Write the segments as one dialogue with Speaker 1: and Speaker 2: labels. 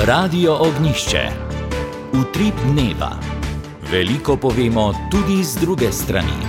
Speaker 1: Radio Ognjišče. Utrip dneva. Veliko povemo tudi z druge strani.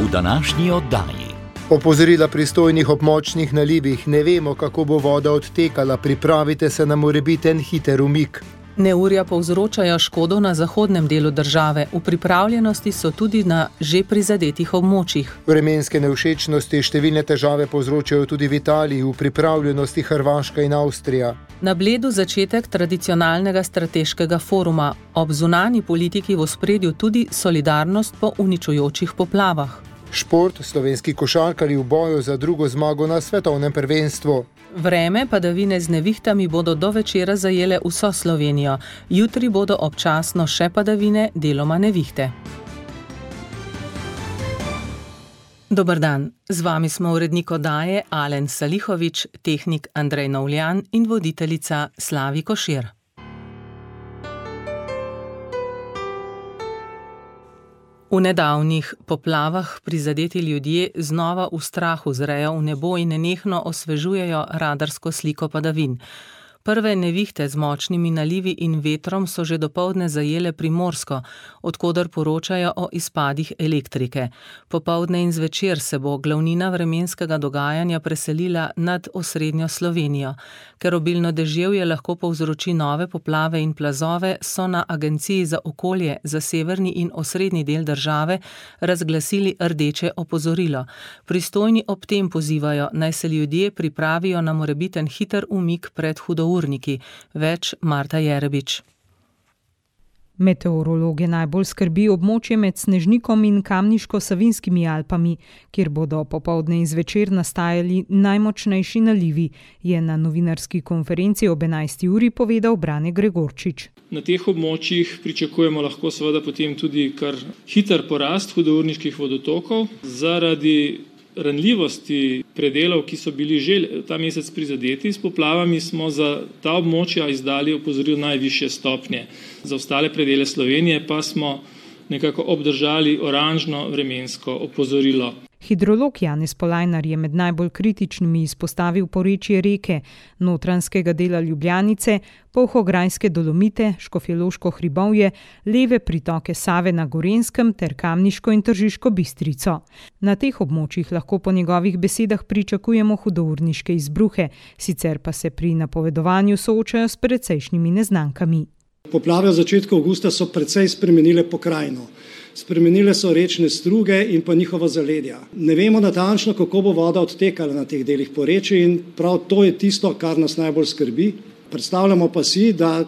Speaker 1: V današnji oddaji.
Speaker 2: Opozorila pristojnih ob močnih nalivih. Ne vemo, kako bo voda odtekala. Pripravite se na morebiten hiter umik.
Speaker 3: Neurja povzročajo škodo na zahodnem delu države. V pripravljenosti so tudi na že prizadetih območjih.
Speaker 2: Vremenske nevšečnosti številne težave povzročajo tudi v Italiji, v pripravljenosti Hrvaška in Avstrija.
Speaker 3: Na Bledu začetek tradicionalnega strateškega foruma. Ob zunanji politiki v ospredju tudi solidarnost po uničujočih poplavah.
Speaker 2: Šport, slovenski košarkarji v boju za drugo zmago na svetovnem prvenstvu.
Speaker 3: Vreme padavine z nevihtami bodo do večera zajele vso Slovenijo. Jutri bodo občasno še padavine, deloma nevihte. Dober dan, z vami smo urednik oddaje Alen Salihovič, tehnik Andrej Novljan in voditeljica Slavi Košir. V nedavnih poplavah prizadeti ljudje znova v strahu zrejo v nebo in nenehno osvežujejo radarsko sliko padavin. Prve nevihte z močnimi nalivi in vetrom so že dopoldne zajele Primorsko, od koder poročajo o izpadih elektrike. Popoldne in zvečer se bo glavnina vremenskega dogajanja preselila nad osrednjo Slovenijo. Ker obilno deževje lahko povzroči nove poplave in plazove, so na Agenciji za okolje za severni in osrednji del države razglasili rdeče opozorilo. Pristojni ob tem pozivajo, naj se ljudje pripravijo na morebiten hiter umik pred hudourniki. Več Marta Jerebič.
Speaker 4: Meteorologe najbolj skrbi območje med Snežnikom in Kamniško-Savinjskimi Alpami, kjer bodo popoldne in zvečer nastajali najmočnejši nalivi, je na novinarski konferenci ob 11. uri povedal Brane Gregorčič.
Speaker 5: Na teh območjih pričakujemo lahko seveda potem tudi kar hiter porast hudourniških vodotokov zaradi ranljivosti predelov, ki so bili že ta mesec prizadeti s poplavami, smo za ta območja izdali opozorilo najvišje stopnje. Za ostale predele Slovenije pa smo nekako obdržali oranžno vremensko opozorilo.
Speaker 4: Hidrolog Janez Polajnar je med najbolj kritičnimi izpostavil porečje reke, notranjskega dela Ljubljanice, Polhograjske Dolomite, Škofjeloško hribovje, leve pritoke Save na Gorenjskem ter Kamniško in Tržiško Bistrico. Na teh območjih lahko po njegovih besedah pričakujemo hudourniške izbruhe, sicer pa se pri napovedovanju soočajo s precejšnjimi neznankami.
Speaker 6: Poplave v začetku avgusta so precej spremenile pokrajino. Spremenile so rečne struge in pa njihova zaledja. Ne vemo natančno, kako bo voda odtekala na teh delih porečij in prav to je tisto, kar nas najbolj skrbi. Predstavljamo pa si, da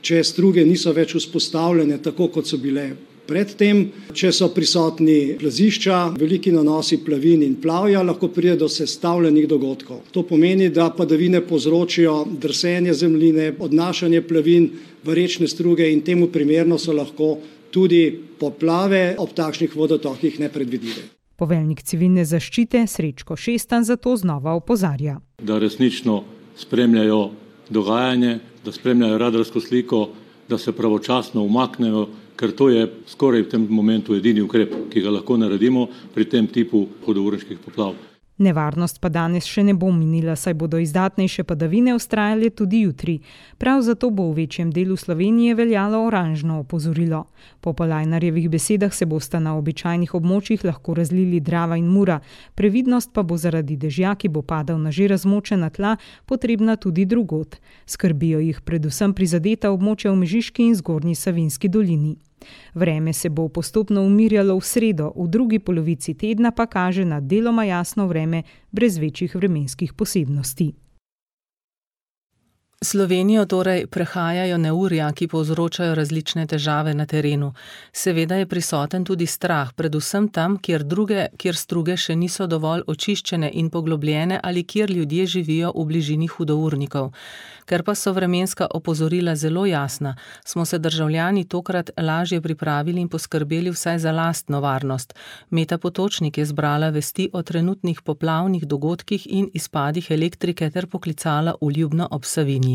Speaker 6: če struge niso več vzpostavljene tako, kot so bile predtem, če so prisotni plazišča, veliki nanosi plavin in plavja, lahko pride do sestavljenih dogodkov. To pomeni, da padavine povzročijo drsenje zemljine, odnašanje plavin v rečne struge in temu primerno so lahko tudi poplave ob takšnih vodotokih nepredvidljive.
Speaker 4: Poveljnik civilne zaščite Srečko Šestan zato znova opozarja.
Speaker 7: Da resnično spremljajo dogajanje, da spremljajo radarsko sliko, da se pravočasno umaknejo, ker to je skoraj v tem momentu edini ukrep, ki ga lahko naredimo pri tem tipu hudourniških poplav.
Speaker 4: Nevarnost pa danes še ne bo minila, saj bodo izdatnejše padavine vztrajale tudi jutri. Prav zato bo v večjem delu Slovenije veljalo oranžno opozorilo. Po Polajnarjevih besedah se bosta na običajnih območjih lahko razlili Drava in Mura. Previdnost pa bo zaradi dežja, ki bo padal na že razmočena tla, potrebna tudi drugod. Skrbijo jih predvsem prizadeta območja v Mežiški in Zgornji Savinjski dolini. Vreme se bo postopno umirjalo v sredo, v drugi polovici tedna pa kaže na deloma jasno vreme brez večjih vremenskih posebnosti.
Speaker 3: Slovenijo torej prehajajo neurja, ki povzročajo različne težave na terenu. Seveda je prisoten tudi strah, predvsem tam, kjer struge še niso dovolj očiščene in poglobljene ali kjer ljudje živijo v bližini hudournikov. Ker pa so vremenska opozorila zelo jasna, smo se državljani tokrat lažje pripravili in poskrbeli vsaj za lastno varnost. Meta Potočnik je zbrala vesti o trenutnih poplavnih dogodkih in izpadih elektrike ter poklicala v Ljubno ob Savinji.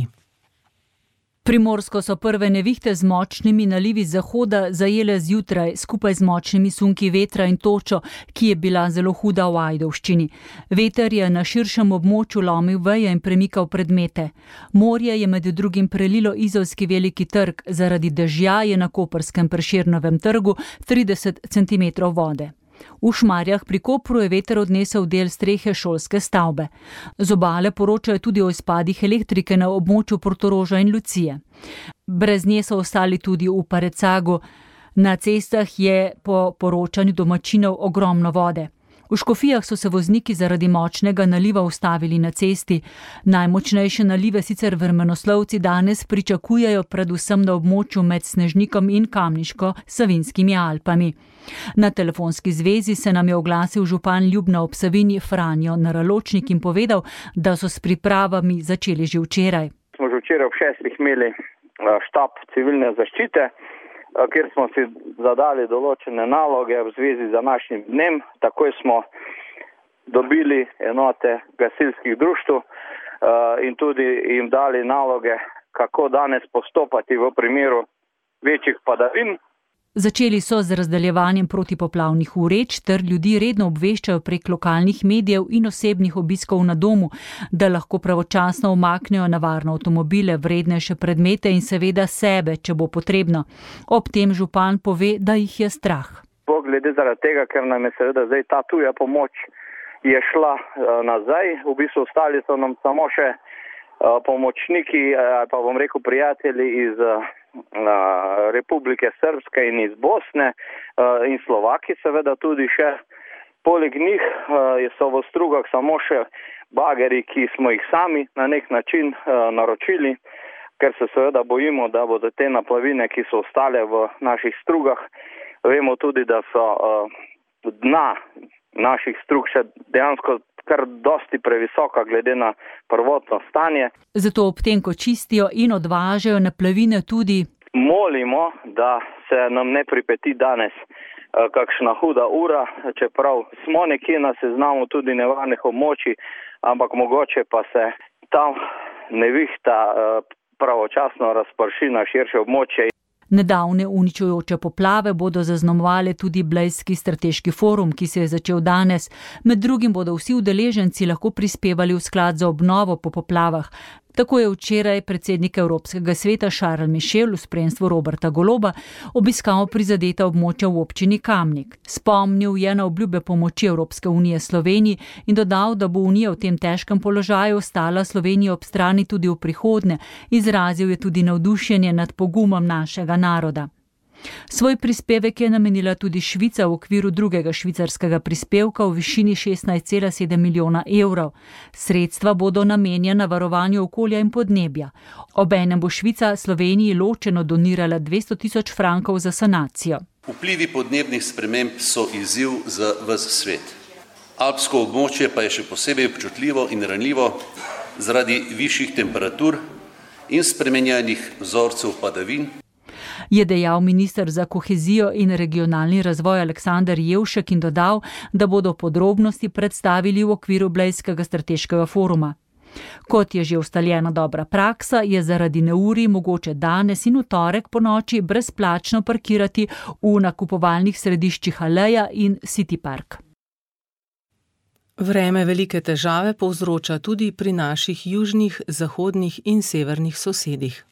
Speaker 8: Primorsko so prve nevihte z močnimi nalivi z zahoda zajele zjutraj skupaj z močnimi sunki vetra in točo, ki je bila zelo huda v Ajdovščini. Veter je na širšem območju lomil veje in premikal predmete. Morje je med drugim prelilo Izolski veliki trg, zaradi dežja je na koprskem Prešernovem trgu 30 cm vode. V Šmarjah pri Kopru je veter odnesel del strehe šolske stavbe. Z obale poročajo tudi o izpadih elektrike na območju Portoroža in Lucije. Brez nje so ostali tudi v Parecagu. Na cestah je po poročanju domačinov ogromno vode. V Škofijah so se vozniki zaradi močnega naliva ustavili na cesti. Najmočnejše nalive sicer vremenoslovci danes pričakujejo predvsem na območju med Snežnikom in Kamniško-Savinskimi Alpami. Na telefonski zvezi se nam je oglasil župan Ljubna ob Savinji Franjo Naraločnik in povedal, da so s pripravami začeli že včeraj.
Speaker 9: Smo že včeraj ob 6 imeli štab civilne zaščite, kjer smo si zadali določene naloge v zvezi z današnjim dnem. Takoj smo dobili enote gasilskih društev in tudi jim dali naloge, kako danes postopati v primeru večjih padavin.
Speaker 8: Začeli so z razdeljevanjem protipoplavnih vreč ter ljudi redno obveščajo prek lokalnih medijev in osebnih obiskov na domu, da lahko pravočasno umaknejo na varno avtomobile, vrednejše predmete in seveda sebe, če bo potrebno. Ob tem župan pove, da jih je strah.
Speaker 9: Glede zaradi tega, ker nam je seveda zdaj ta tuja pomoč je šla nazaj, v bistvu ostali so nam samo še pomočniki, pa bom rekel prijatelji iz Republike Srpske in iz Bosne in Slovaki seveda tudi še. Poleg njih so v Strugah samo še bageri, ki smo jih sami na nek način naročili, ker se seveda bojimo, da bodo te naplavine, ki so ostale v naših Strugah. Vemo tudi, da so dna naših Strug še dejansko kar dosti previsoka glede na prvotno stanje.
Speaker 8: Zato ob tem, ko čistijo in odvažajo naplavine tudi
Speaker 9: molimo, da se nam ne pripeti danes kakšna huda ura, čeprav smo nekje na seznamu tudi nevarnih območij, ampak mogoče pa se ta nevihta pravočasno razprši na širše območje.
Speaker 8: Nedavne uničujoče poplave bodo zaznamovale tudi Blejski strateški forum, ki se je začel danes. Med drugim bodo vsi udeleženci lahko prispevali v sklad za obnovo po poplavah. Tako je včeraj predsednik Evropskega sveta Charles Michel v spremstvu Roberta Goloba obiskal prizadeta območja v občini Kamnik. Spomnil je na obljube pomoči Evropske unije Sloveniji in dodal, da bo Unija v tem težkem položaju ostala Sloveniji ob strani tudi v prihodnje. Izrazil je tudi navdušenje nad pogumom našega naroda. Svoj prispevek je namenila tudi Švica v okviru drugega švicarskega prispevka v višini 16,7 milijona evrov. Sredstva bodo namenjena varovanju okolja in podnebja. Obenem bo Švica Sloveniji ločeno donirala 200.000 frankov za sanacijo.
Speaker 10: Vplivi podnebnih sprememb so izziv za ves svet. Alpsko območje pa je še posebej občutljivo in ranljivo zaradi višjih temperatur in spremenjenih vzorcev padavin,
Speaker 8: je dejal minister za kohezijo in regionalni razvoj Aleksander Jevšek in dodal, da bodo podrobnosti predstavili v okviru Blejskega strateškega foruma. Kot je že ustaljena dobra praksa, je zaradi neurij mogoče danes in v torek ponoči brezplačno parkirati v nakupovalnih središčih Aleja in City Park.
Speaker 3: Vreme velike težave povzroča tudi pri naših južnih, zahodnih in severnih sosedih.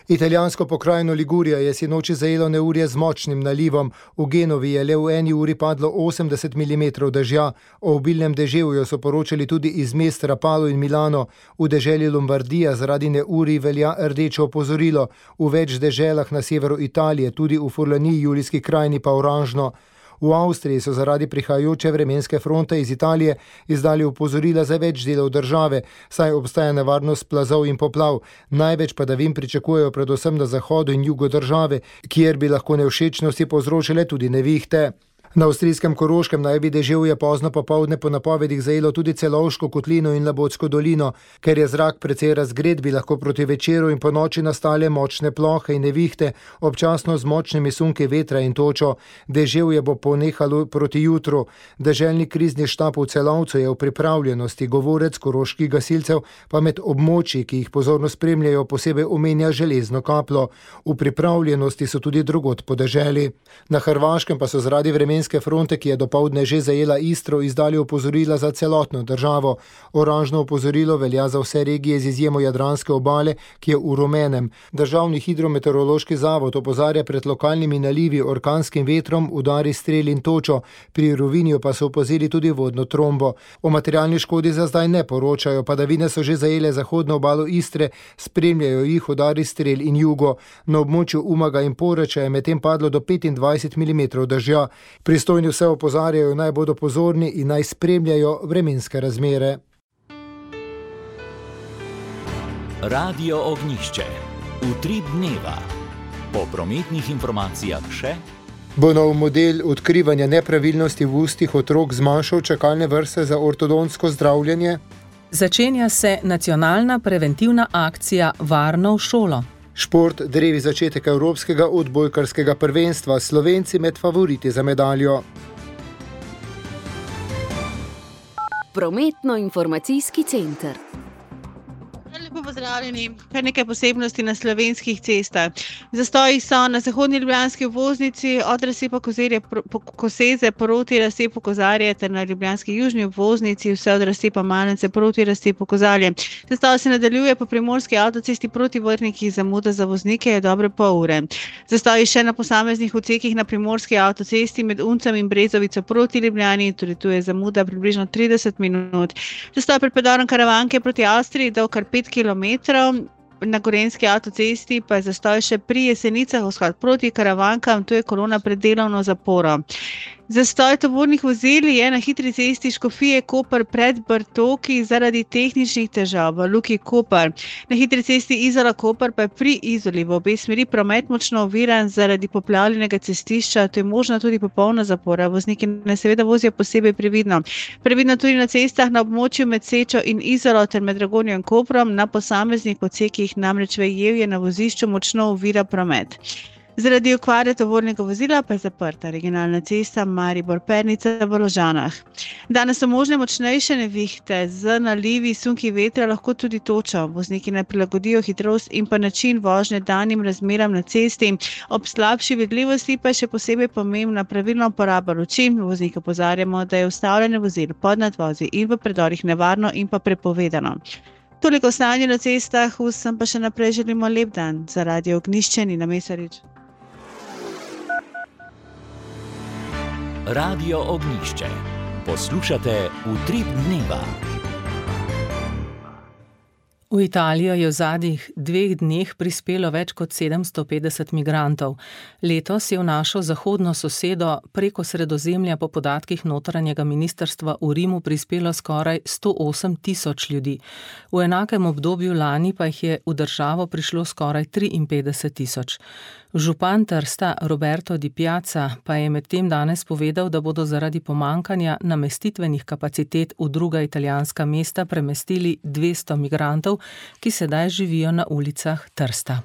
Speaker 2: Italijansko pokrajino Ligurija je sinoči zajelo neurje z močnim nalivom. V Genovi je le v eni uri padlo 80 mm dežja. O obilnem deževju so poročali tudi iz mest Rapallo in Milano. V deželi Lombardija zaradi neurij velja rdeče opozorilo. V več deželah na severu Italije, tudi v Furlaniji, Julijski krajini pa oranžno. V Avstriji so zaradi prihajajoče vremenske fronte iz Italije izdali opozorila za več delov države, saj obstaja nevarnost plazov in poplav. Največ padavin pričakujejo predvsem na zahodu in jugu države, kjer bi lahko nevšečnosti povzročile tudi nevihte. Na avstrijskem Koroškem naj bi deževje pozno popoldne po napovedih zajelo tudi Celovško kotlino in Labotsko dolino. Ker je zrak precej razgret, bi lahko proti večeru in ponoči nastale močne plohe in nevihte, občasno z močnimi sunki vetra in točo. Deževje bo ponehalo proti jutru. Deželni krizni štab v Celovcu je v pripravljenosti, govorec koroških gasilcev pa med območji, ki jih pozorno spremljajo, posebej omenja železno kapljo. V pripravljenosti so tudi drugod po deželi. Na Hrvaškem pa so zaradi vremenske fronte, ki je dopoldne že zajela Istro, izdali opozorila za celotno državo. Oranžno opozorilo velja za vse regije z izjemo Jadranske obale, ki je v rumenem. Državni hidrometeorološki zavod opozarja pred lokalnimi nalivi, orkanskim vetrom, udari strel in točo. Pri Rovinju pa so opazili tudi vodno trombo. O materialni škodi za zdaj ne poročajo, padavine so že zajele zahodno obalo Istre, spremljajo jih udari strel in jugo. Na območju Umaga in Poreča je medtem padlo do 25 mm dežja. Pristojni vse opozarjajo, naj bodo pozorni in naj spremljajo vremenske razmere.
Speaker 1: Radio Ognjišče. Utrip dneva. Po prometnih informacijah še.
Speaker 2: Bo nov model odkrivanja nepravilnosti v ustih otrok zmanjšal čakalne vrste za ortodontsko zdravljenje?
Speaker 3: Začenja se nacionalna preventivna akcija Varno v šolo.
Speaker 2: Šport drevi začetek evropskega odbojkarskega prvenstva, Slovenci med favoriti za medaljo.
Speaker 11: Prometno-informacijski center.
Speaker 12: Lepo pozdravljeni. Kar nekaj posebnosti na slovenskih cestah. Zastoji so na zahodni ljubljanski obvoznici od razcepa Koseze proti razcepu Kozarje ter na ljubljanski južni obvoznici vse od razcepa Malence proti razcepu Kozarje. Zastoj se nadaljuje po primorski avtocesti proti Vrhniki, zamuda za voznike je dobre pol ure. Zastoji še na posameznih odsekih na primorski avtocesti med Uncem in Brezovico proti Ljubljani, tudi tu je zamuda približno 30 minut. Zastoj pred predorom Karavanke proti Avstriji do kar 5 kilometrov, na Gorenjski avtocesti pa je zastoj še pri Jesenicah vzhod proti Karavankam, tu je kolona pred delovno zaporo. Zastoj tovornih vozil je na hitri cesti Škofije Koper pred Bartoki zaradi tehničnih težav v Luki Koper. Na hitri cesti Izola Koper pa je pri Izoli v obe smeri promet močno oviran zaradi poplavljenega cestišča, to je možna tudi popolna zapora. Vozniki naj seveda vozijo posebej previdno. Previdno tudi na cestah na območju med Sečo in Izolo ter med Dragonjo in Koprom, na posameznih odsekih namreč Vejevje na vozišču močno ovira promet. Zaradi okvare tovornega vozila pa je zaprta regionalna cesta Maribor-Pernica v Ložanah. Danes so možne močnejše nevihte z nalivi, sunki vetra, lahko tudi točo. Vozniki naj prilagodijo hitrost in pa način vožnje danim razmeram na cesti. Ob slabši vidljivosti pa je še posebej pomembna pravilna uporaba luči. Voznike opozarjamo, da je ustavljanje vozil pod nadvozi in v predorih nevarno in pa prepovedano. Toliko o stanju na cestah, vsem pa še naprej želimo lep dan. Za Radio Ognjišče, Nina Mesarič.
Speaker 1: Radio Ognjišče. Poslušate Utrip dneva.
Speaker 3: V Italijo je v zadnjih 2 dneh prispelo več kot 750 migrantov. Letos je v našo zahodno sosedo preko Sredozemlja po podatkih notranjega ministrstva v Rimu prispelo skoraj 108 000 ljudi. V enakem obdobju lani pa jih je v državo prišlo skoraj 53 000. Župan Trsta Roberto Di Piazza pa je medtem danes povedal, da bodo zaradi pomankanja namestitvenih kapacitet v druga italijanska mesta premestili 200 migrantov, ki sedaj živijo na ulicah Trsta.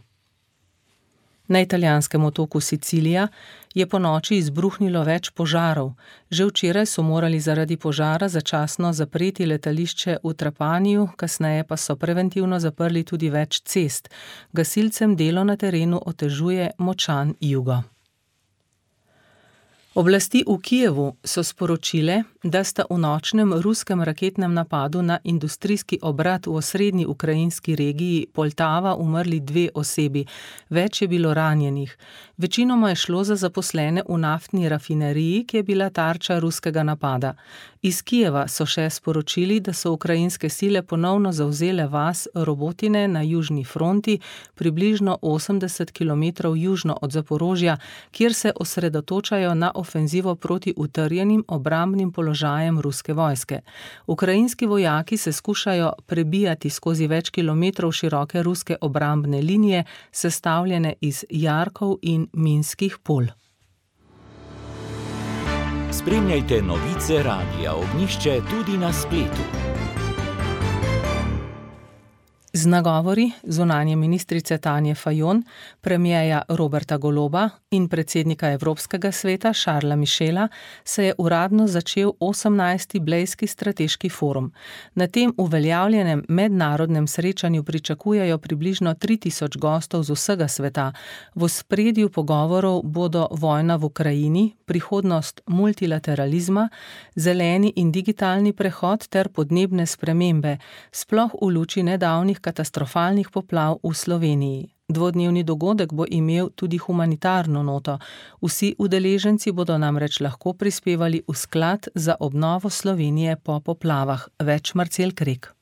Speaker 3: Na italijanskem otoku Sicilija je ponoči izbruhnilo več požarov. Že včeraj so morali zaradi požara začasno zapreti letališče v Trapaniju, kasneje pa so preventivno zaprli tudi več cest. Gasilcem delo na terenu otežuje močan jugo. Oblasti v Kijevu so sporočile, da sta v nočnem ruskem raketnem napadu na industrijski obrat v osrednji ukrajinski regiji Poltava umrli 2 osebi, več je bilo ranjenih. Večinoma je šlo za zaposlene v naftni rafineriji, ki je bila tarča ruskega napada. Iz Kijeva so še sporočili, da so ukrajinske sile ponovno zavzele vas Robotine na južni fronti, približno 80 km južno od Zaporožja, kjer se osredotočajo na ofenzivo proti utrjenim obrambnim položajem ruske vojske. Ukrajinski vojaki se skušajo prebijati skozi več kilometrov široke ruske obrambne linije, sestavljene iz jarkov in minskih polj.
Speaker 1: Spremljajte novice Radia Ognjišče tudi na spletu.
Speaker 3: Z nagovori zunanje ministrice Tanje Fajon, premierja Roberta Goloba in predsednika Evropskega sveta Charlesa Michela se je uradno začel 18. Blejski strateški forum. Na tem uveljavljenem mednarodnem srečanju pričakujejo približno 3000 gostov z vsega sveta. V ospredju pogovorov bodo vojna v Ukrajini, prihodnost multilateralizma, zeleni in digitalni prehod ter podnebne spremembe, sploh v luči nedavnih katastrofalnih poplav v Sloveniji. Dvodnevni dogodek bo imel tudi humanitarno noto. Vsi udeleženci bodo namreč lahko prispevali v sklad za obnovo Slovenije po poplavah. Več Marcel Krek.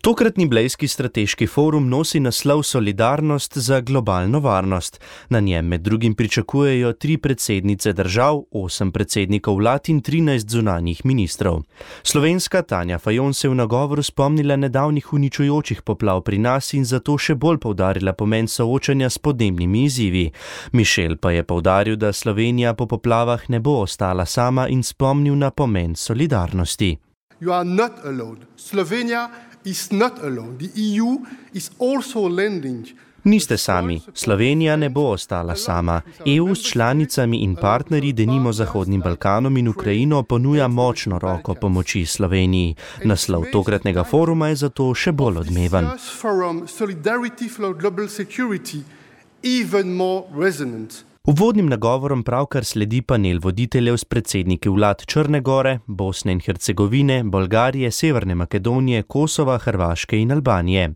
Speaker 13: Tokratni Blejski strateški forum nosi naslov Solidarnost za globalno varnost. Na njem med drugim pričakujejo 3 predsednice držav, 8 predsednikov vlad in 13 zunanjih ministrov. Slovenska Tanja Fajon se je v nagovoru spomnila nedavnih uničujočih poplav pri nas in zato še bolj poudarila pomen soočanja s podnebnimi izzivi. Michel pa je poudaril, da Slovenija po poplavah ne bo ostala sama in spomnil na pomen solidarnosti.
Speaker 14: You are not alone. Slovenija is not alone. The EU is also lending.
Speaker 13: Niste sami. Slovenija ne bo ostala sama. EU s članicami in partnerji, denimo Zahodnim Balkanom in Ukrajino, ponuja močno roko pomoči Sloveniji. Naslov tokratnega foruma je zato še bolj odmeven. Uvodnim nagovorom pravkar sledi panel voditeljev s predsedniki vlad Črne Gore, Bosne in Hercegovine, Bolgarije, Severne Makedonije, Kosova, Hrvaške in Albanije.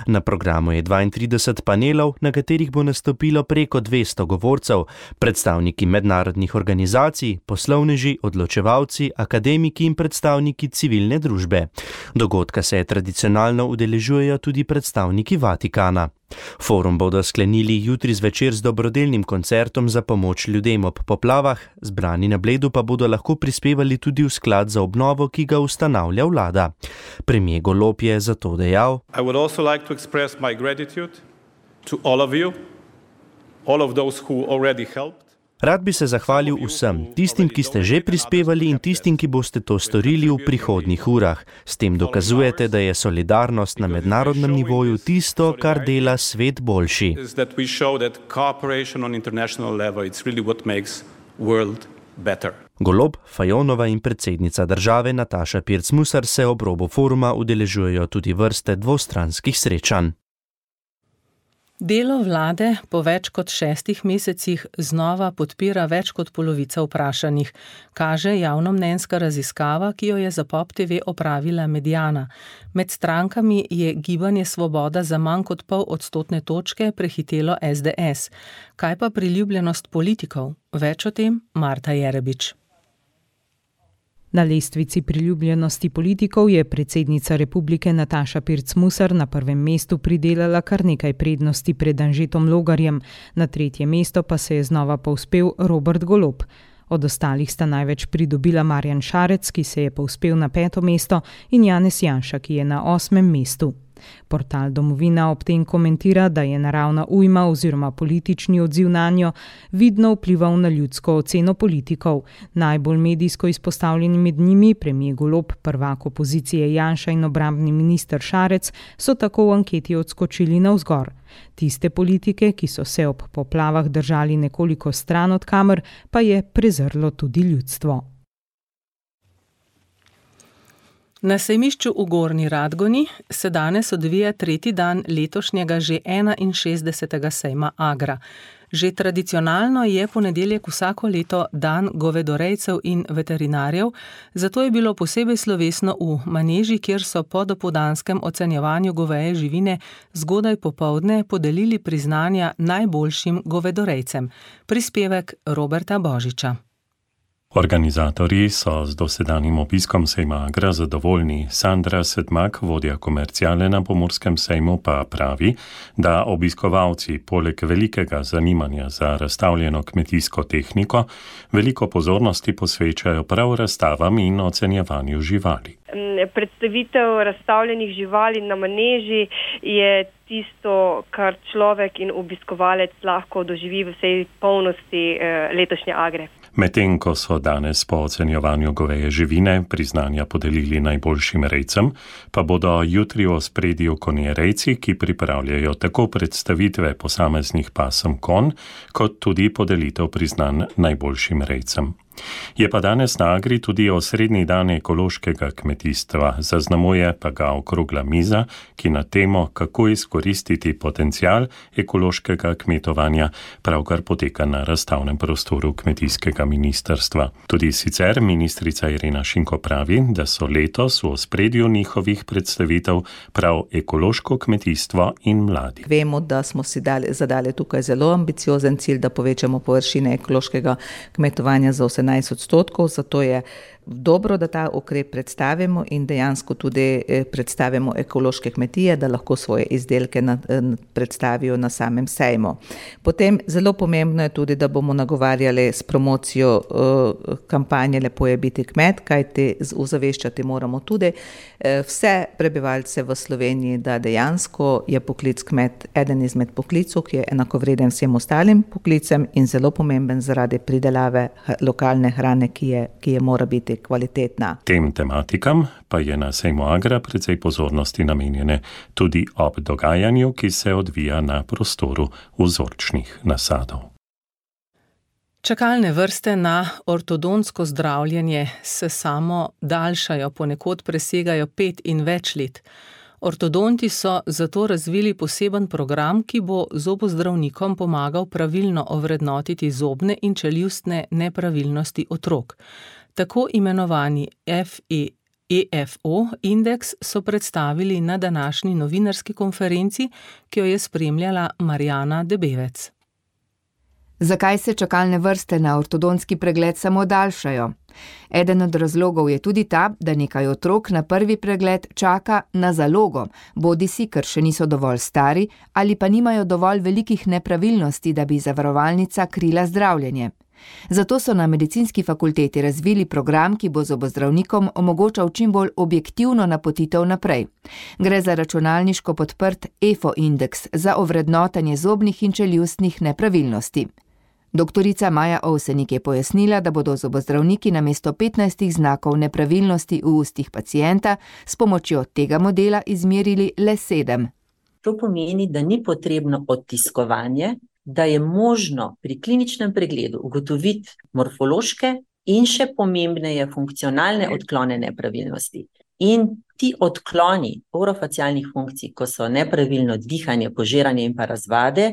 Speaker 13: Na programu je 32 panelov, na katerih bo nastopilo preko 200 govorcev, predstavniki mednarodnih organizacij, poslovneži, odločevalci, akademiki in predstavniki civilne družbe. Dogodka se tradicionalno udeležujejo tudi predstavniki Vatikana. Forum bodo sklenili jutri zvečer z dobrodelnim koncertom za pomoč ljudem ob poplavah, zbrani na Bledu pa bodo lahko prispevali tudi v sklad za obnovo, ki ga ustanavlja vlada. Premier Golob je zato dejal:
Speaker 15: I would also like to express my gratitude to all of you, all of those who already helped.
Speaker 13: Rad bi se zahvalil vsem, tistim, ki ste že prispevali in tistim, ki boste to storili v prihodnjih urah. S tem dokazujete, da je solidarnost na mednarodnem nivoju tisto, kar dela svet boljši. Golob, Fajonova in predsednica države Nataša Pirc-Musar se ob robu foruma udeležujejo tudi vrste dvostranskih srečanj.
Speaker 3: Delo vlade po več kot 6 mesecih znova podpira več kot polovica vprašanih, kaže javnomnenjska raziskava, ki jo je za Pop TV opravila Mediana. Med strankami je Gibanje Svoboda za manj kot 0,5 točke prehitelo SDS. Kaj pa priljubljenost politikov? Več o tem Marta Jerebič.
Speaker 4: Na lestvici priljubljenosti politikov je predsednica republike Nataša Pirc-Musar na prvem mestu pridelala kar nekaj prednosti pred Anžetom Logarjem, na 3. mesto pa se je znova povzpel Robert Golob. Od ostalih sta največ pridobila Marjan Šarec, ki se je povzpel na 5. mesto, in Janez Janša, ki je na 8. mestu. Portal Domovina ob tem komentira, da je naravna ujma oziroma politični odziv nanjo vidno vplival na ljudsko oceno politikov. Najbolj medijsko izpostavljeni med njimi, premier Golob, prvak opozicije Janša in obrambni minister Šarec, so tako v anketi odskočili navzgor. Tiste politike, ki so se ob poplavah držali nekoliko stran od kamer, pa je prezrlo tudi ljudstvo. Na sejmišču v Gornji Radgoni se danes odvija 3. dan letošnjega že 61. sejma Agra. Že tradicionalno je ponedeljek vsako leto dan govedorejcev in veterinarjev, zato je bilo posebej slovesno v maneži, kjer so po dopoldanskem ocenjevanju goveje živine zgodaj popoldne podelili priznanja najboljšim govedorejcem. Prispevek Roberta Božiča.
Speaker 16: Organizatorji so z dosedanjim obiskom sejma Agra zadovoljni. Sandra Sedmak, vodja komerciale na Pomorskem sejmu, pa pravi, da obiskovalci poleg velikega zanimanja za razstavljeno kmetijsko tehniko veliko pozornosti posvečajo prav razstavam in ocenjevanju živali.
Speaker 17: Predstavitev razstavljenih živali na maneži je tisto, kar človek in obiskovalec lahko doživi v vsej polnosti letošnje Agre.
Speaker 16: Medtem ko so danes po ocenjevanju goveje živine priznanja podelili najboljšim rejcem, pa bodo jutri v ospredju konjerejci, ki pripravljajo tako predstavitve posameznih pasem konj, kot tudi podelitev priznanj najboljšim rejcem. Je pa danes na Agri tudi osrednji dan ekološkega kmetijstva, zaznamuje pa ga okrogla miza, ki na temo, kako izkoristiti potencial ekološkega kmetovanja, pravkar poteka na razstavnem prostoru kmetijskega ministrstva. Tudi sicer ministrica Irena Šinko pravi, da so letos v ospredju njihovih predstavitev prav ekološko kmetijstvo in mladi.
Speaker 18: Vemo, da smo si zadali tukaj zelo ambiciozen cilj, da povečamo površine ekološkega kmetovanja za 18%, zato je dobro, da ta ukrep predstavimo in dejansko tudi predstavimo ekološke kmetije, da lahko svoje izdelke predstavijo na samem sejmu. Potem zelo pomembno je tudi, da bomo nagovarjali s promocijo kampanje Lepo je biti kmet, kajti ozaveščati moramo tudi vse prebivalce v Sloveniji, da dejansko je poklic kmet eden izmed poklicov, ki je enakovreden vsem ostalim poklicem in zelo pomemben zaradi pridelave lokalne hrane, ki je mora biti kvalitetna.
Speaker 16: Tem tematikam pa je na sejmu Agra precej pozornosti namenjene tudi ob dogajanju, ki se odvija na prostoru vzorčnih nasadov.
Speaker 3: Čakalne vrste na ortodontsko zdravljenje se samo daljšajo, ponekod presegajo 5 in več let. Ortodonti so zato razvili poseben program, ki bo zobozdravnikom pomagal pravilno ovrednotiti zobne in čeljustne nepravilnosti otrok. Tako imenovani EFO indeks so predstavili na današnji novinarski konferenci, ki jo je spremljala Marjana Debevec.
Speaker 19: Zakaj se čakalne vrste na ortodontski pregled samo daljšajo? Eden od razlogov je tudi ta, da nekaj otrok na prvi pregled čaka na zalogo, bodisi ker še niso dovolj stari ali pa nimajo dovolj velikih nepravilnosti, da bi zavarovalnica krila zdravljenje. Zato so na medicinski fakulteti razvili program, ki bo zobozdravnikom omogočal čim bolj objektivno napotitev naprej. Gre za računalniško podprt EFO indeks za ovrednotanje zobnih in čeljustnih nepravilnosti. Doktorica Maja Ovsenik je pojasnila, da bodo zobozdravniki namesto 15 znakov nepravilnosti v ustih pacienta s pomočjo tega modela izmerili le 7.
Speaker 20: To pomeni, da ni potrebno odtiskovanje, da je možno pri kliničnem pregledu ugotoviti morfološke in še pomembneje funkcionalne odklone nepravilnosti. In ti odkloni orofacialnih funkcij, ko so nepravilno dihanje, požiranje in pa razvade,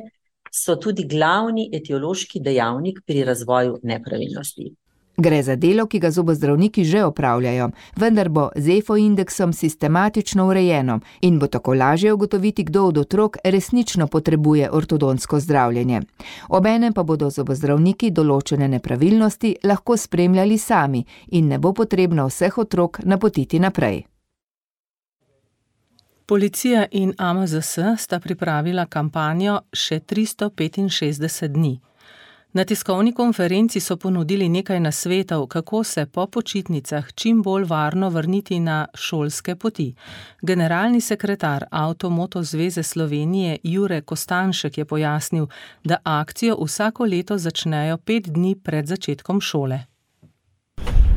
Speaker 20: so tudi glavni etiološki dejavnik pri razvoju nepravilnosti.
Speaker 19: Gre za delo, ki ga zobozdravniki že opravljajo, vendar bo z EFO indeksom sistematično urejeno in bo tako lažje ugotoviti, kdo od otrok resnično potrebuje ortodontsko zdravljenje. Obenem pa bodo zobozdravniki določene nepravilnosti lahko spremljali sami in ne bo potrebno vseh otrok napotiti naprej.
Speaker 3: Policija in AMZS sta pripravila kampanjo Še 365 dni. Na tiskovni konferenci so ponudili nekaj nasvetov, kako se po počitnicah čim bolj varno vrniti na šolske poti. Generalni sekretar Avto-Moto zveze Slovenije Jure Kostanšek je pojasnil, da akcijo vsako leto začnejo 5 dni pred začetkom šole.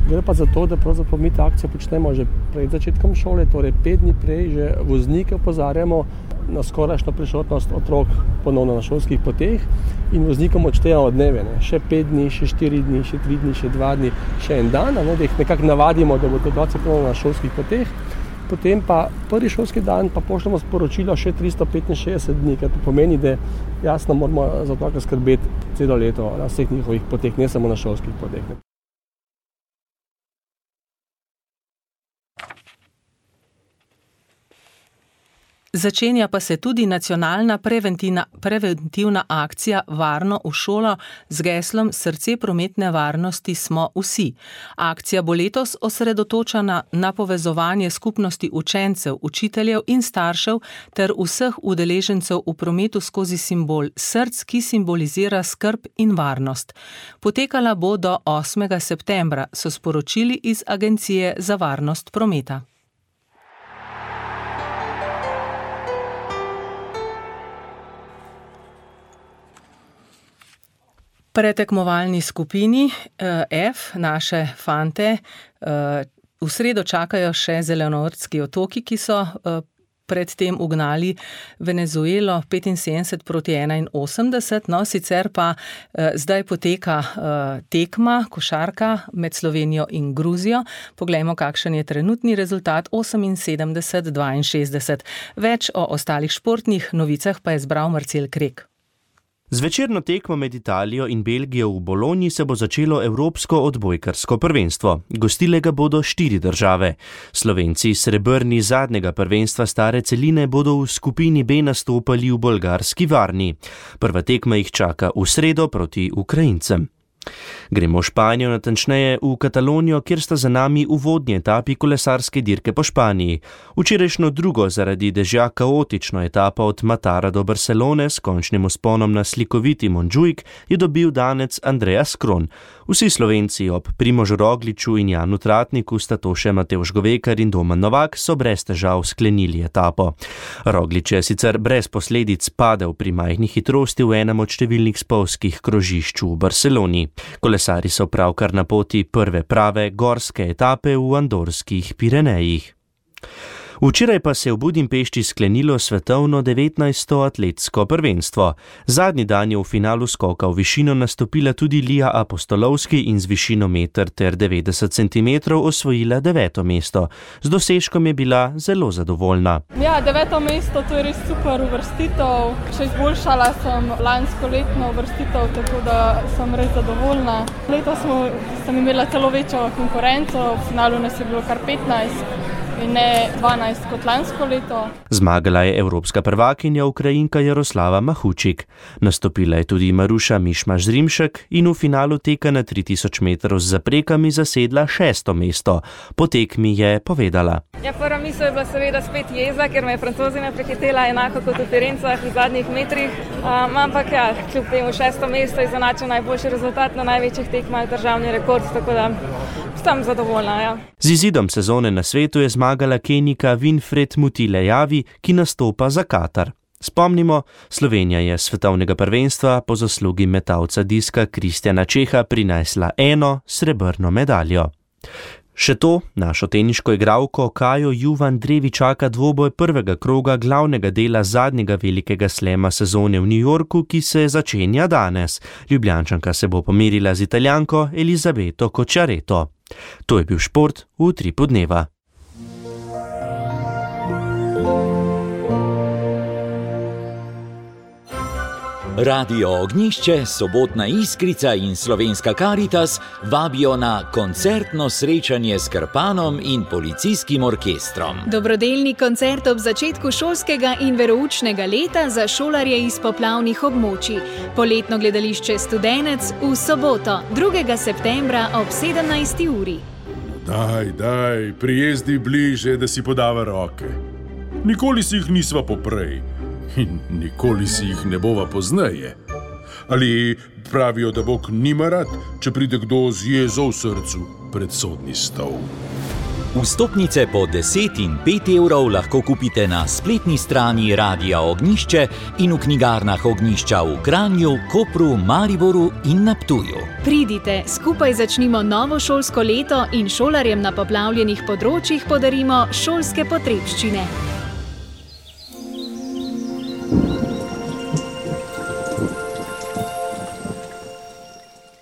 Speaker 21: Gre pa za to, da pravzaprav mi ta akcijo počnemo že pred začetkom šole, torej 5 dni prej že voznike opozarjamo na skorajšnjo prisotnost otrok ponovno na šolskih poteh in voznikom odštejamo dneve, še 5 dni, še 4 dni, še 3 dni, še 2 dni, še en dan, da jih nekako navadimo, da bodo otroci ponovno na šolskih poteh. Potem pa prvi šolski dan pa pošljemo sporočilo še 365 dni, kar to pomeni, da jasno moramo za otroka skrbeti celo leto na vseh njihovih poteh, ne samo na šolskih poteh.
Speaker 3: Začenja pa se tudi nacionalna preventivna akcija Varno v šolo z geslom Srce prometne varnosti smo vsi. Akcija bo letos osredotočena na povezovanje skupnosti učencev, učiteljev in staršev ter vseh udeležencev v prometu skozi simbol src, ki simbolizira skrb in varnost. Potekala bo do 8. septembra, so sporočili iz Agencije za varnost prometa. pretekmovalni skupini F, naše fante, v sredo čakajo še Zelenortski otoki, ki so predtem ugnali Venezuelo 75-81, no sicer pa zdaj poteka tekma, košarka med Slovenijo in Gruzijo. Poglejmo, kakšen je trenutni rezultat, 78-62. Več o ostalih športnih novicah pa je zbral Marcel Krek.
Speaker 13: Z večerno tekmo med Italijo in Belgijo v Bologni se bo začelo evropsko odbojkarsko prvenstvo. Gostile ga bodo 4 države. Slovenci srebrni zadnjega prvenstva stare celine bodo v skupini B nastopali v bolgarski Varni. Prva tekma jih čaka v sredo proti Ukrajincem. Gremo v Španijo, natančneje v Katalonijo, kjer sta za nami uvodni etapi kolesarske dirke po Španiji. Včerajšnjo drugo zaradi dežja kaotično etapo od Matara do Barcelone s končnim vzponom na slikoviti Montjuic je dobil danec Andreas Kron. Vsi Slovenci ob Primožu Rogliču in Janu Tratniku, sta to še Matevž Govekar in Domen Novak, so brez težav sklenili etapo. Roglič je sicer brez posledic padel pri majhni hitrosti v enem od številnih spolzkih krožišč v Barceloni. Kolesari so pravkar na poti prve prave gorske etape v andorskih Pirenejih. Včeraj pa se je v Budimpešti sklenilo svetovno 19. atletsko prvenstvo. Zadnji dan je v finalu skoka v višino nastopila tudi Lija Apostolovski in z višino 1,90 cm osvojila 9. mesto. Z dosežkom je bila zelo zadovoljna.
Speaker 5: Ja, 9. mesto, to je res super uvrstitev. Še izboljšala sem lansko letno uvrstitev, tako da sem res zadovoljna. Letos sem imela celo večjo konkurenco, v finalu nas je bilo kar 15. In ne 12 kot lansko leto.
Speaker 13: Zmagala je evropska prvakinja Ukrajinka Jaroslava Mahučik. Nastopila je tudi Maruša Mišmaš-Zrimšek in v finalu teka na 3000 metrov z zaprekami zasedla 6. mesto. Po tekmi je povedala.
Speaker 5: Ja, prva misel je bila seveda spet jeza, ker me je Francozina prehitela enako kot v Firencah v zadnjih metrih. Ampak ja, kljub temu 6. mesto je zanačil najboljši rezultat na največjih tekmah, državni rekord, tako da sem zadovoljna. Ja.
Speaker 13: Z izidom sezone na svetu je zmagala Kenijka Winfred Mutile-Javi, ki nastopa za Katar. Spomnimo, Slovenija je svetovnega prvenstva po zaslugi metalca diska Kristjana Čeha prinesla 1 srebrno medaljo. Še to, našo teniško igralko Kajo Juvan Drevi čaka dvoboj prvega kroga glavnega dela zadnjega velikega slema sezone v New Yorku, ki se začenja danes. Ljubljančanka se bo pomerila z Italijanko Elizabeto Cocciaretto. To je bil šport v Utripu dneva.
Speaker 1: Radio Ognjišče, Sobotna Iskrica in Slovenska Karitas vabijo na koncertno srečanje s Krpanom in policijskim orkestrom.
Speaker 22: Dobrodelni koncert ob začetku šolskega in veroučnega leta za šolarje iz poplavnih območij. Poletno gledališče Studenec v soboto, 2. septembra ob 17. uri.
Speaker 23: Daj, prijezdi bliže, da si podava roke. Nikoli si jih nisva poprej. In nikoli si jih ne bova pozneje. Ali pravijo, da Bog nima rad, če pride kdo z jezo v srcu pred sodni stol.
Speaker 1: Vstopnice po 10 in 5 evrov lahko kupite na spletni strani Radia Ognjišče in v knjigarnah Ognjišča v Kranju, Kopru, Mariboru in na Ptuju.
Speaker 22: Pridite, skupaj začnimo novo šolsko leto in šolarjem na poplavljenih področjih podarimo šolske potrebščine.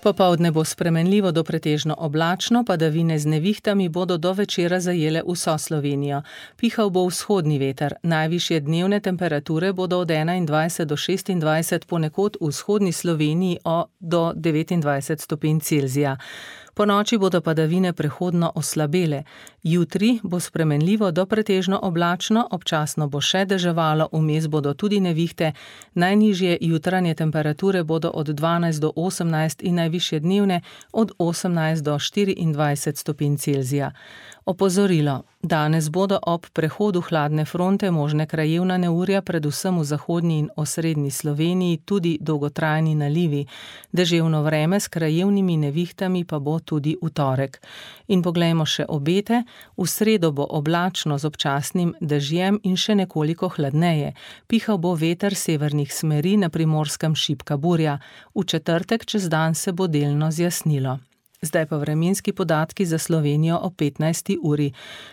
Speaker 3: Popoldne bo spremenljivo do pretežno oblačno, padavine z nevihtami bodo do večera zajele vso Slovenijo. Pihal bo vzhodni veter, najvišje dnevne temperature bodo od 21 do 26, ponekod v vzhodni Sloveniji do 29 stopinj Celzija. Po noči bodo padavine prehodno oslabele. Jutri bo spremenljivo do pretežno oblačno, občasno bo še deževalo, vmes bodo tudi nevihte. Najnižje jutranje temperature bodo od 12 do 18 in najvišje dnevne od 18 do 24 stopinj Celzija. Opozorilo. Danes bodo ob prehodu hladne fronte možne krajevna neurja predvsem v zahodnji in osrednji Sloveniji, tudi dolgotrajni nalivi. Deževno vreme s krajevnimi nevihtami pa bo tudi v torek. In poglejmo še obete. V sredo bo oblačno z občasnim dežjem in še nekoliko hladneje. Pihal bo veter severnih smeri, na Primorskem šibka burja. V četrtek čez dan se bo delno zjasnilo. Zdaj pa vremenski podatki za Slovenijo o 15. uri.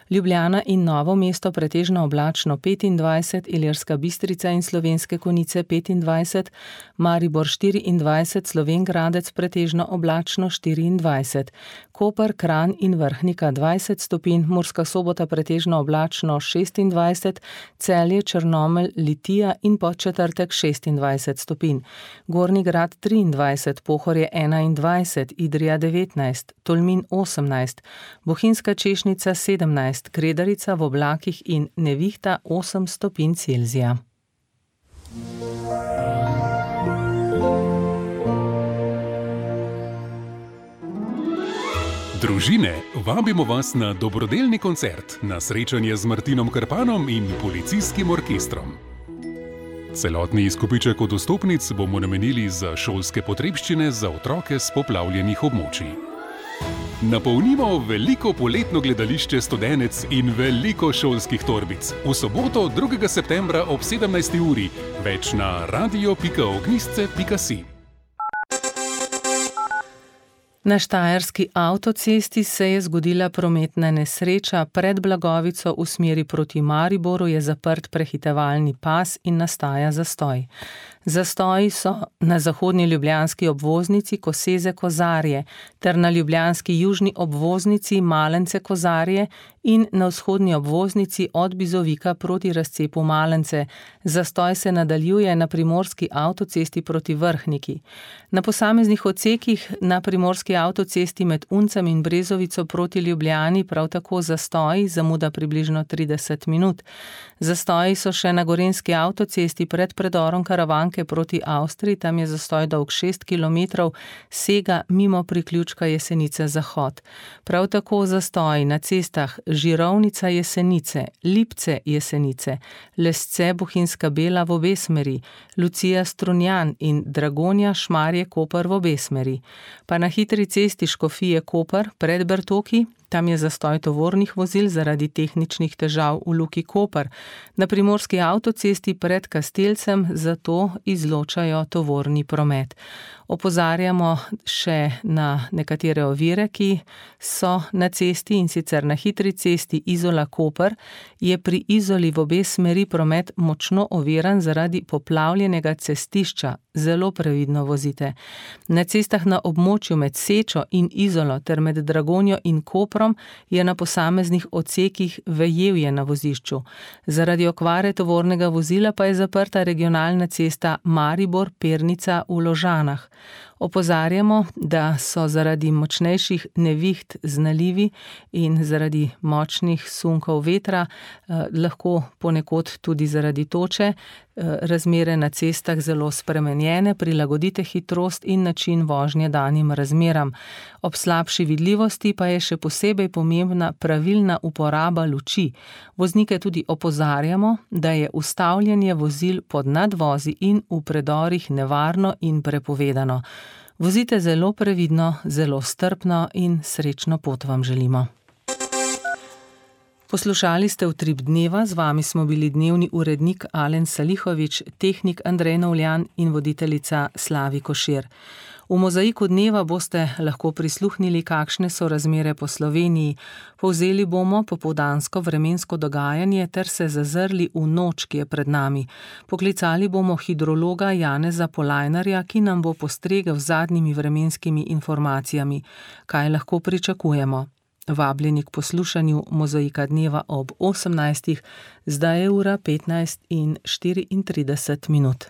Speaker 3: Ljubljana in Novo mesto pretežno oblačno 25, Ilirska Bistrica in Slovenske Konjice 25, Maribor 24, Slovenj Gradec pretežno oblačno 24, Koper, Kranj in Vrhnika 20 stopinj, Murska Sobota pretežno oblačno 26, Celje, Črnomelj, Litija in Podčetrtek 26 stopinj, Gornji Grad 23, Pohorje 21, Idrija 19, Tolmin 18, Bohinjska Češnica 17, Kredarica v oblakih in nevihta 8 stopinj Celzija.
Speaker 6: Družine, vabimo vas na dobrodelni koncert, na srečanje z Martinom Krpanom in policijskim orkestrom. Celotni izkupiček od vstopnic bomo namenili za šolske potrebščine za otroke s poplavljenih območij. Napolnimo veliko poletno gledališče Studenec in veliko šolskih torbic. V soboto 2. septembra ob 17. uri. Več na radio.ognisce.si.
Speaker 3: Na štajerski avtocesti se je zgodila prometna nesreča. Pred Blagovico v smeri proti Mariboru je zaprt prehitevalni pas in nastaja zastoj. Zastoji so na zahodni ljubljanski obvoznici Koseze-Kozarje ter na ljubljanski južni obvoznici Malence-Kozarje in na vzhodni obvoznici od Bizovika proti razcepu Malence. Zastoj se nadaljuje na primorski avtocesti proti Vrhniki. Na posameznih odsekih na primorski avtocesti med Uncem in Brezovico proti Ljubljani prav tako zastoji, zamuda približno 30 minut. Zastoji so še na gorenjski avtocesti pred predorom Karavanke proti Avstriji, tam je zastoj dolg 6 km, sega mimo priključka Jesenice-Zahod. Prav tako zastoji na cestah Žirovnica-Jesenice, Lipce-Jesenice, Lesce-Bohinjska Bela v obe smeri, Lucija-Strunjan in Dragonja-Šmarje-Koper v obe smeri. Pa na hitri cesti Škofije-Koper pred Bertoki, tam je zastoj tovornih vozil zaradi tehničnih težav v Luki Koper. Na primorski avtocesti pred Kastelcem zato izločajo tovorni promet. Opozarjamo še na nekatere ovire, ki so na cesti, in sicer na hitri cesti Izola-Koper je pri Izoli v obe smeri promet močno oviran zaradi poplavljenega cestišča. Zelo previdno vozite. Na cestah na območju med Sečo in Izolo ter med Dragonjo in Koprom je na posameznih odsekih vejevje na vozišču. Zaradi okvare tovornega vozila pa je zaprta regionalna cesta Maribor-Pernica v Ložanah. Opozarjamo, da so zaradi močnejših neviht z nalivi in zaradi močnih sunkov vetra, lahko ponekod tudi zaradi toče, razmere na cestah zelo spremenjene, prilagodite hitrost in način vožnje danim razmeram. Ob slabši vidljivosti pa je še posebej pomembna pravilna uporaba luči. Voznike tudi opozarjamo, da je ustavljanje vozil pod nadvozi in v predorih nevarno in prepovedano. Vozite zelo previdno, zelo strpno in srečno pot vam želimo. Poslušali ste Utrip dneva, z vami smo bili dnevni urednik Alen Salihovič, tehnik Andrej Novljan in voditeljica Slavi Košir. V mozaiku dneva boste lahko prisluhnili, kakšne so razmere po Sloveniji. Povzeli bomo popoldansko vremensko dogajanje ter se zazrli v noč, ki je pred nami. Poklicali bomo hidrologa Janeza Polajnarja, ki nam bo postregel z zadnjimi vremenskimi informacijami. Kaj lahko pričakujemo? Vabljeni k poslušanju mozaika dneva ob 18. Zdaj je ura 15:34.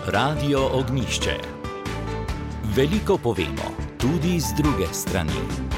Speaker 1: Radio Ognjišče. Veliko povemo, tudi z druge strani.